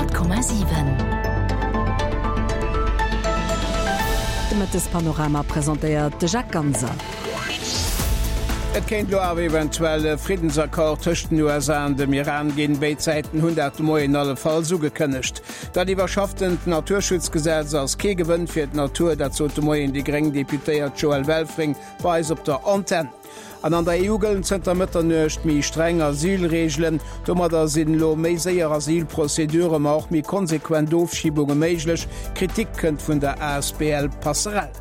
100,7. De Mëttespanorama presentéiert de Jacques Ganser. Et kéint elo awer eventuell e Friddensaccord tëscht den USA an dem Iran ginn. Béid Säiten hunn dat de Moien allefalls ugekënnegt. Dat iwwerschafftent Naturschutzgesetz ass kee Gewënn fir d'Natur, dat sot de Moien déi gréng Deputéiert Joëlle Welfring bei eis op der Antenn. An an der EU gëllen zënter Mëtternuecht méi streng Asylreegelen. Domadder sinn elo méi séier Asylprozeduren, ma och méi konsequent Ofschibunge méiglech. Kritik kënnt vun der asbl Passerell.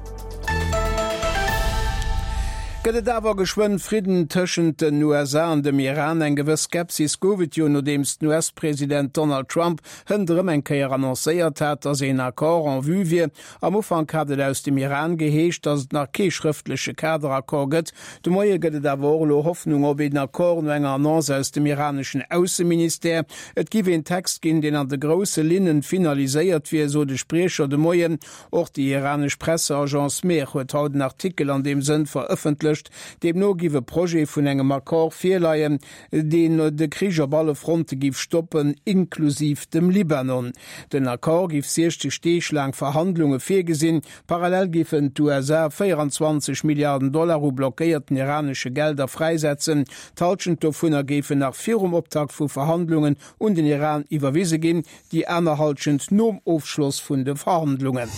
Gëtt et awer geschwënn Fridden tëschent den USA an dem Iran? Eng gewëss Skepsis gouf et jo, nodeems den US-President Donald Trump hënt erëm eng Kéier annoncéiert hat, datt een Accord en vue wier. Am Ufank hat et aus dem Iran geheescht, datt et nach kee schrëftleche Kaderaccord gëtt. De Moie gëtt et awer och elo Hoffnung op een Accord, no enger Annonce aus dem iraneschen Ausseministère. Et giff een Text ginn, deen an de grousse Linnen finaliséiert wier, sot e Spriecher de Moien. Och déi iranesch Presseagence Mehr huet haut en Artikel an deem Sënn verëffentlecht. Deemno giff e Projet vun engem Accord virleien, deen de Krich op alle Fronte giff stoppen, inklusiv dem Libanon. Den Accord giff 60 Deeg laang Verhandlunge virgesinn. Parallel giffen d'USA 24 Milliarden Dollar u blockéierten iranesche Gelder fräisetzen. D'Hallschent dovunner géifen nach virum Optakt vu Verhandlungen un den Iran iwwerwise ginn. Déi aner Hallschent nom Ofschloss vun de Verhandlungen.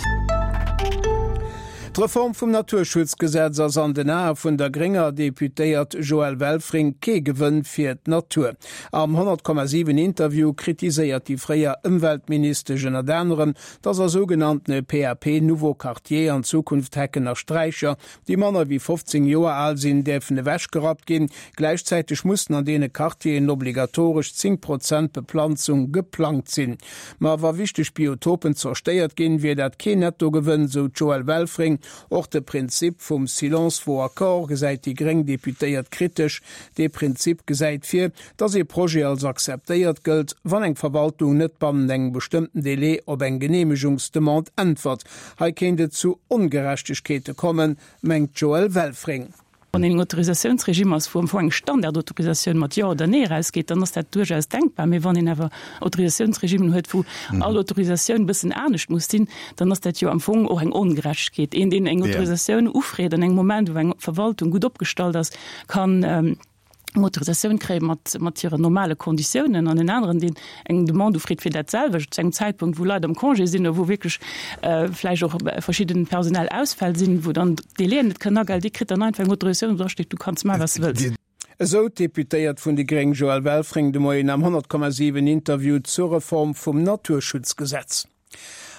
D'Reform vum Naturschutzgesetz ass an den Ae vun der grénger Deputéiert Joëlle Welfring kee Gewënn fir d'Natur. Am 100,7 Interview kritiséiert déi fréier Ëmweltministesch ënnert anerem, datt a sougenanntene PAP Nouveaux Quartiers an Zukunft Hecken a Sträicher déi manner wéi 15 Joer al sinn, däerfen ewechgerappt ginn. Gläichzäiteg mussen an deene Quartieren obligatoresch 10 Prozent Beplanzung geplangt sinn. Ma wa wichteg Biotopen zerstéiert ginn, wier dat keen Nettogewënn, sou d'Joëlle Welfring. Och de Prinzip vum Silence vaut accord gesäit déi gréng Deputéiert kritesch. Dee Prinzip gesäit vir, dass ee Projet als akzeptéiert gëllt, wann eng Verwaltung net bannent engem bestëmmten Delai op eng Geneemegungsdemande äntwert. Hei kéint et zu Ongerechtegkeete kommen, mengt d'Joëlle Welfring. Wann een en Autorisatiounsregime ass, wou am Fong eng Standardautorisatioun mat Jo oder Nee erausgeet, dann ass dat duerchaus denkbar. Mee wann een awer Autorisatiounsregimen huet, wou all Autorisatioun e bëssen anescht muss sinn, dann ass dat jo am Fong och eng Ongerechtegkeet. Een, deen eng Autorisatioun ufreet an engem Moment, wou eng Verwaltung gutt opgestallt ass, kann eng Autorisatioun kréie mat, mat hiren normale Konditiounen an en aneren, deen eng Demande ufreet fir dat selwecht zu engem Zäitpunkt, wou Leit am Congé sinn oder wou wierklech vläicht och verschidden personell Ausfäll sinn, wou dann d'Délaiën net kënnen agehalen, dee kritt dann einfach eng Autorisatioun, wou dra steet, du kanns maachen, wat s de wëlls. Esou d'Deputéiert vun déi gréng Joëlle Welfring de Moien am 100,7 Interview zur Reform vum Naturschutzgesetz.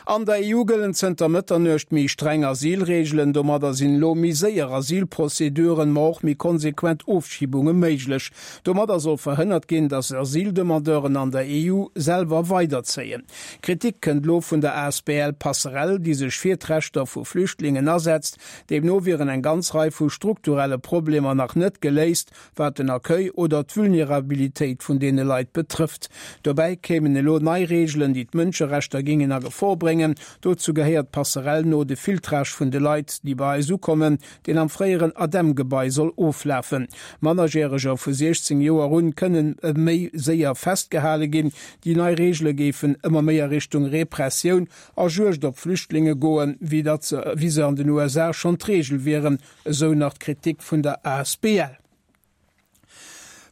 An der EU gëllen zënter Mëtternuecht méi streng Asylreegelen. Domadder sinn elo méi séier Asylprozeduren, ma och méi konsequent Ofschibunge méiglech. Domadder soll verhënnert ginn, datt Asyldemandeuren an der EU selwer weiderzéien. Kritik kënnt elo vun der asbl Passerell, déi sech fir d'Rechter vu Flüchtlingen asetzt. Deemno wieren eng ganz Rei vu strukturelle Problemer nach net geléist, wat den Accueil oder d'Vulnerabilitéit vun deene Leit betrëfft. Dobäi kéimen elo nei Reegelen, déi d'Mënscherechter géingen a Gefor bréngen. Dozou gehéiert d'Passerell no, de Filtrage vun de Leit, déi bei eis ukommen, deen am fréieren ADEM-Gebai soll oflafen. Mannerjäreger vu 16 Joer un kënnen méi séier festgehale ginn. Déi nei Reegele géifen ëmmer méi a Richtung Repressioun a Juegd op Flüchtlinge goen, wéi datt se an den USA schonn d'Reegel wieren, Esou nach d'Kritik vun der asbl.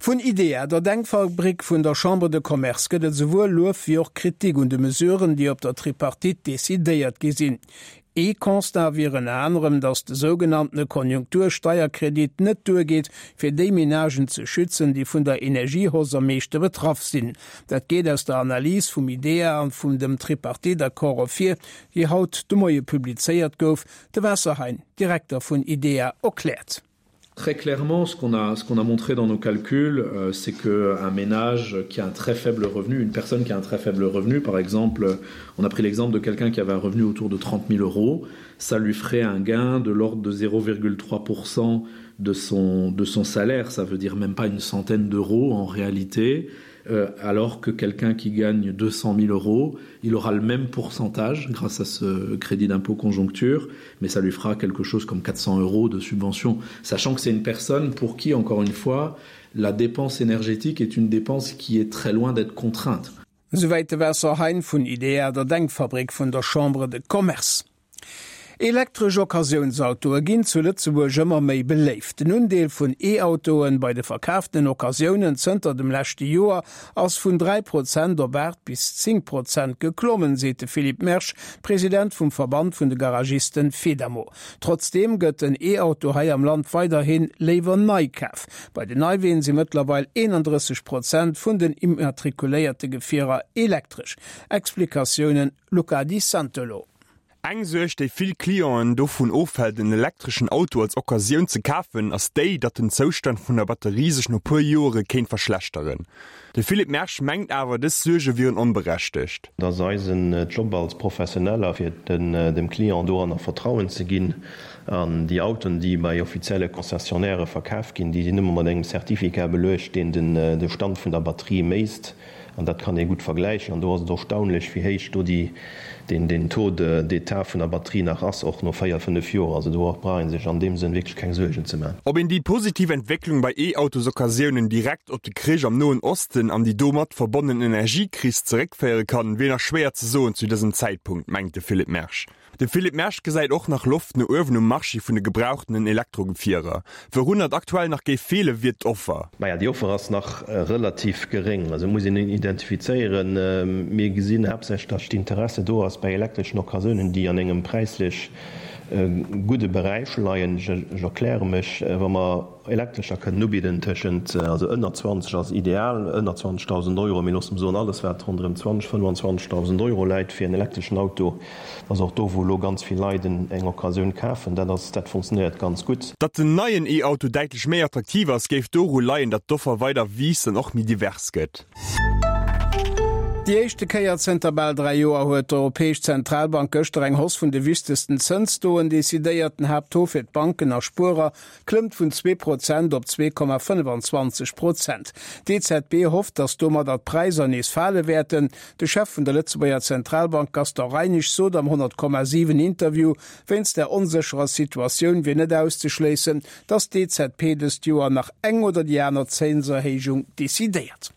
Vun IDEA, der Denkfabrik vun der Chambre de Commerce, gëtt et esouwuel Luef wéi och Kritik un de Mesuren, déi op der Tripartite decidéiert gi sinn. Ee Constat wier ënner anerem, datt de sougenanntene Konjunktursteierkredit net duergeet, fir déi Menagen ze schützen, déi vun der Energiehausse am meeschte betraff sinn. Dat geet aus der Analys vum IDEA an vum dem Tripartite-Accord ervir, déi haut de Moie publizéiert gouf. De Vincent Hein, Direkter vun IDEA, erkläert. Très clairement, ce qu'on a, ce qu'on a montré dans nos calculs, euh, c'est qu'un ménage qui a un très faible revenu, une personne qui a un très faible revenu, par exemple, on a pris l'exemple de quelqu'un qui avait un revenu autour de 30 000 euros, ça lui ferait un gain de l'ordre de 0,3% de son, de son salaire, ça veut dire même pas une centaine d'euros en réalité. Euh, alors que quelqu'un qui gagne 200 000 euros, il aura le même pourcentage grâce à ce crédit d'impôt conjoncture, mais ça lui fera quelque chose comme 400 euros de subvention, sachant que c'est une personne pour qui, encore une fois, la dépense énergétique est une dépense qui est très loin d'être contrainte. Esouwäit de Vincent Hein vun IDEA, der Denkfabrik vun der Chambre de Commerce. Elektresch Occasiounsautoe ginn zu Lëtzebuerg ëmmer méi beléift. Den Undeel vun E-Autoen bei de verkaaftenen Occasiounen zënter dem leschte Joer ass vun 3 Prozent op 8 bis 10 Prozent geklommen, seet de Philippe Mersch, President vum Verband vun de Garagisten Fedamo. Trotzdeem gëtt den E-Auto hei am Land weiderhi léiwer nei kaf. Bei den Neiween si mëttlerweil 31 Prozent vun den immatrikuléierte Gefierer elektresch. Explikatiounen Luca Di Santolo. Eng Suerg, déi vill Clienten dovun ofhält, en elektreschen Auto als Occasioun ze kafen, ass déi, datt den Zoustand vun der Batterie sech no puer Joere kéint verschlechteren. De Philippe Mersch mengt awer, dës Suerge wieren onberechtegt. Et ass eisen Job als Professioneller, fir dem Client doranner Vertrauen ze ginn. An déi Autoen, déi bei offizielle Concessionnairë verkaf ginn, déi sinn ëmmer mat engem Certificat beluecht, deen de Stand vun der Batterie méisst. An dat kann ee gutt vergläichen. An do ass et erstaunlech, wéi héich do déi, deen, deen Taux de, d'état vun der Batterie nach ass, och no véier, fënnef Joer. Also do brauch ee sech an deem Sënn wierklech keng Suergen ze maachen. Ob een déi positiv Entwécklung bei E-Autosoccasiounen direkt op de Krich am Noen Osten an déi domat verbonnen Energiekris zeréckféiere kann, wier nach schwéier ze soen zu dësem Zäitpunkt, mengt de Philippe Mersch. De Philippe Mersch gesäit och nach Loft no uewen um Marché vun de gebrauchtenen Elektrogefierer. Wourunner et aktuell nach géif feelen, wier d'Offer. Maja, déi Offer ass nach relativ geréng. Also et muss een identifizéieren. Mir gesinn haaptsächlech, datt d'Interesse do ass bei elektreschen Occasiounen, déi an engem präislech gudde Beräich leien. Ech erkläre mech, Wa mer Elektrescher kënnen ubidden tëschent, also ënner 20 ass ideal, ënner 20.000 Euro, mee loosse mer soen, alles wat ronderëm 20, 25.000 Euro läit fir en elektreschen Auto, ass och do wou elo ganz vill Leit eng Occasioun kafen, dat ass, dat funktionéiert ganz gutt. Datt den neien E-Auto däitlech méi attraktiv ass, géif doru leien, datt d'Offer weider wiisst an och méi divers gëtt. Déi éischte Kéier zënter bal 3 Joer huet d'Europäesch Zentralbank gëschter eng Hausse vun de wichtegsten Zënstoen decidéiert. Den Haapttaux fir d'Banken a Spuerer klëmmt vun 2 Prozent op 2,25 Prozent. D'EZB hofft, datt domadder d'Präisser nees fale wäerten. De Chef vun der Lëtzebuerger Zentralbank Gaston Reinesch sot am 100,7 Interview, wéinst der onsécherer Situatioun wier net auszeschléissen, datt d'EZB dëst Joer nach eng oder déi aner Zénserhéijung decidéiert.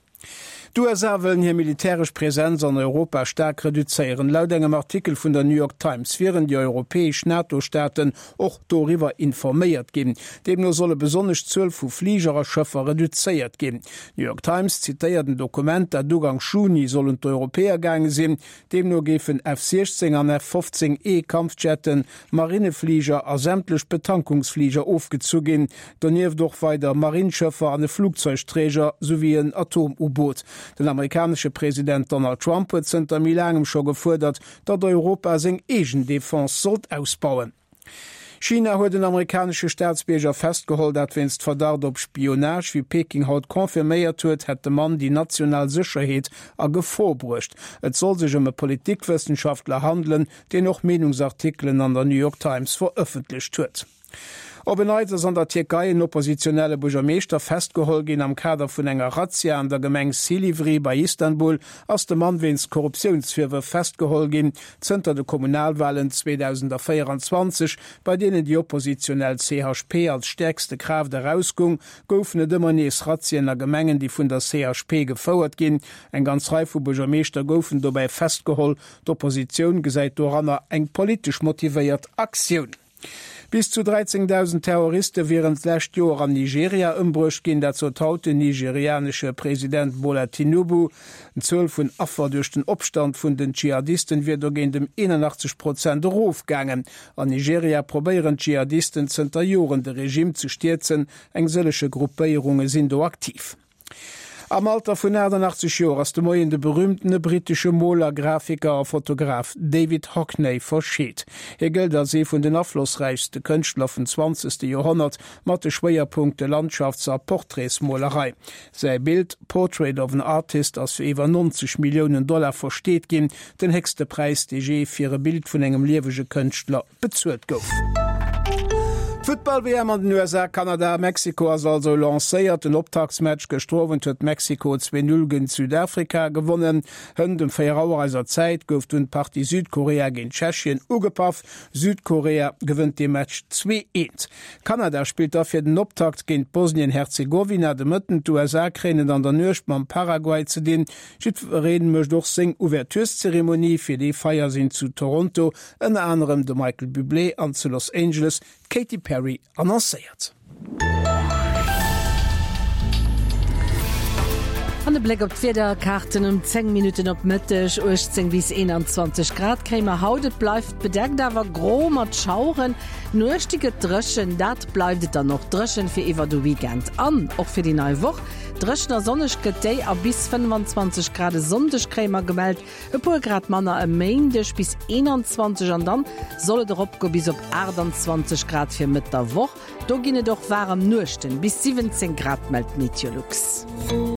D'USA wëllen hir militäresch Presenz an Europa staark reduzéieren. Laut engem Artikel vun der New York Times wieren déi europäesch NATO-Staaten och doriwwer informéiert ginn. Deemno solle besonnesch d'Zuel vu Fliger a Schëffer reduzéiert ginn. D'New York Times zitéiert en Dokument, dat Uganks Juni soll un d'Europäer gaange sinn. Deemno géifen F-16 an F-15 E Kampfjetten, Marinnefliger a sämtlech Betankungsfliger ofgezu ginn, donieft och weider Marinnschëffer an e Flugzeugträger souwéi en Atom-U-Boot. Den amerikanesche President Donald Trump huet zënter méi laangem scho gefuerdert, datt Europa seng eegen Defense sollt ausbauen. China huet en amerikanesche Staatsbierger festgeholl, dat wéinst Verdacht op Spionage. Wéi Peking haut confirméiert huet, hätt de Mann déi national Sécherheet a Gefor bruecht. Et soll sech ëm e Politikwëssenschaftler handelen, deen och Meenungsartikelen an der New York Times verëffentlecht huet. Op en Neits ass an der Tierkei en oppositionelle Buergermeeschter festgeholl ginn. Am Kader vun enger Razzia an der Gemeng Silivri bei Istanbul ass de Mann wéinst Korruptiounsvirwërf festgeholl ginn. Zënter de Kommunalwalen 2024, bei deenen déi oppositionell CHP als stäerkste Kraaft erausgung, goufen et ëmmer nees Razzien a Gemengen, déi vun der CHP gefouert ginn. Eng ganz Rei vu Buergermeeschter goufen dobäi festgeholl. D'Oppositioun gesäit doranner eng politesch motivéiert Aktioun. Bis zu 13.000 Terroriste wieren d'lescht Joer an Nigeria ëmbruecht ginn, dat sot haut den nigerianesche President Bola Tinubu. D'Zuel vun Affer duerch den Opstand vun den Dschihadisten wier dogéint ëm 81 Prozent erofgaangen. An Nigeria probéieren d'Dschihadisten zënter Joren de Regime ze stierzen, eng sëllege Gruppéierunge sinn do aktiv. Am Alter vun 88 Joer ass de Moien de berüümtene brittesche Moler, Grafiker a Fotograf David Hockney verscheet. Hie gëllt als ee vun den aflossräichste Kënschtler vum zwanzegste Joerhonnert, mat de Schwéierpunkte Landschafts a Portraitsmolerei. Säi Bild Portrait of an Artist ass fir iwwer 90 Milliounen Dollar versteet ginn, den héchste Präis, dee jee fir e Bild vun engem liewege Kënschtler bezuelt gouf. D'Futtball-WM an den USA, Kanada a Mexiko ass also lancéiert. Den Optaktsmatch gëschter Owend huet Mexiko 2, 0 géint Südafrika gewonnen. Hënt um 4 Auer eiser Zäit gouf dunn d'Partie Südkorea géint Tschechien ugepaff. Südkorea gewënnt dee Match 2, 1. Kanada spillt da fir den Optakt géint Bosnien-Herzegowina de Mëtten. D'USA kréien et an der Nuecht mam Paraguay ze dinn. Jiddweree mécht och seng Ouvertureszeremonie. Fir déi Feier sinn zu Toronto Ënner anerem de Michael Bublé an zu Los Angeles d'Katy Perry annoncéiert. An e Bléck op d'Wiederkaarten um 10 Minutten op Mëtteg, 18 bis 21 Grad kréie mer haut. Et bleift bedeckt, awer gro mat Schaueren. D'Nuecht déi gëtt dréchen, dat bleift et dann och dréchen fir iwwer de Weekend an och fir déi nei Woch. Dréchen a sonneg gëtt déi a bis 25 Grad e Sonndeg kréie mer gemellt. E puer Grad manner e Méindeg bis 21 an dann soll et eropgoe bis op 28 Grad fir Mëtt der Woch. Do ginn et och waarem Nuechten, bis 17 Grad mellt Meteolux.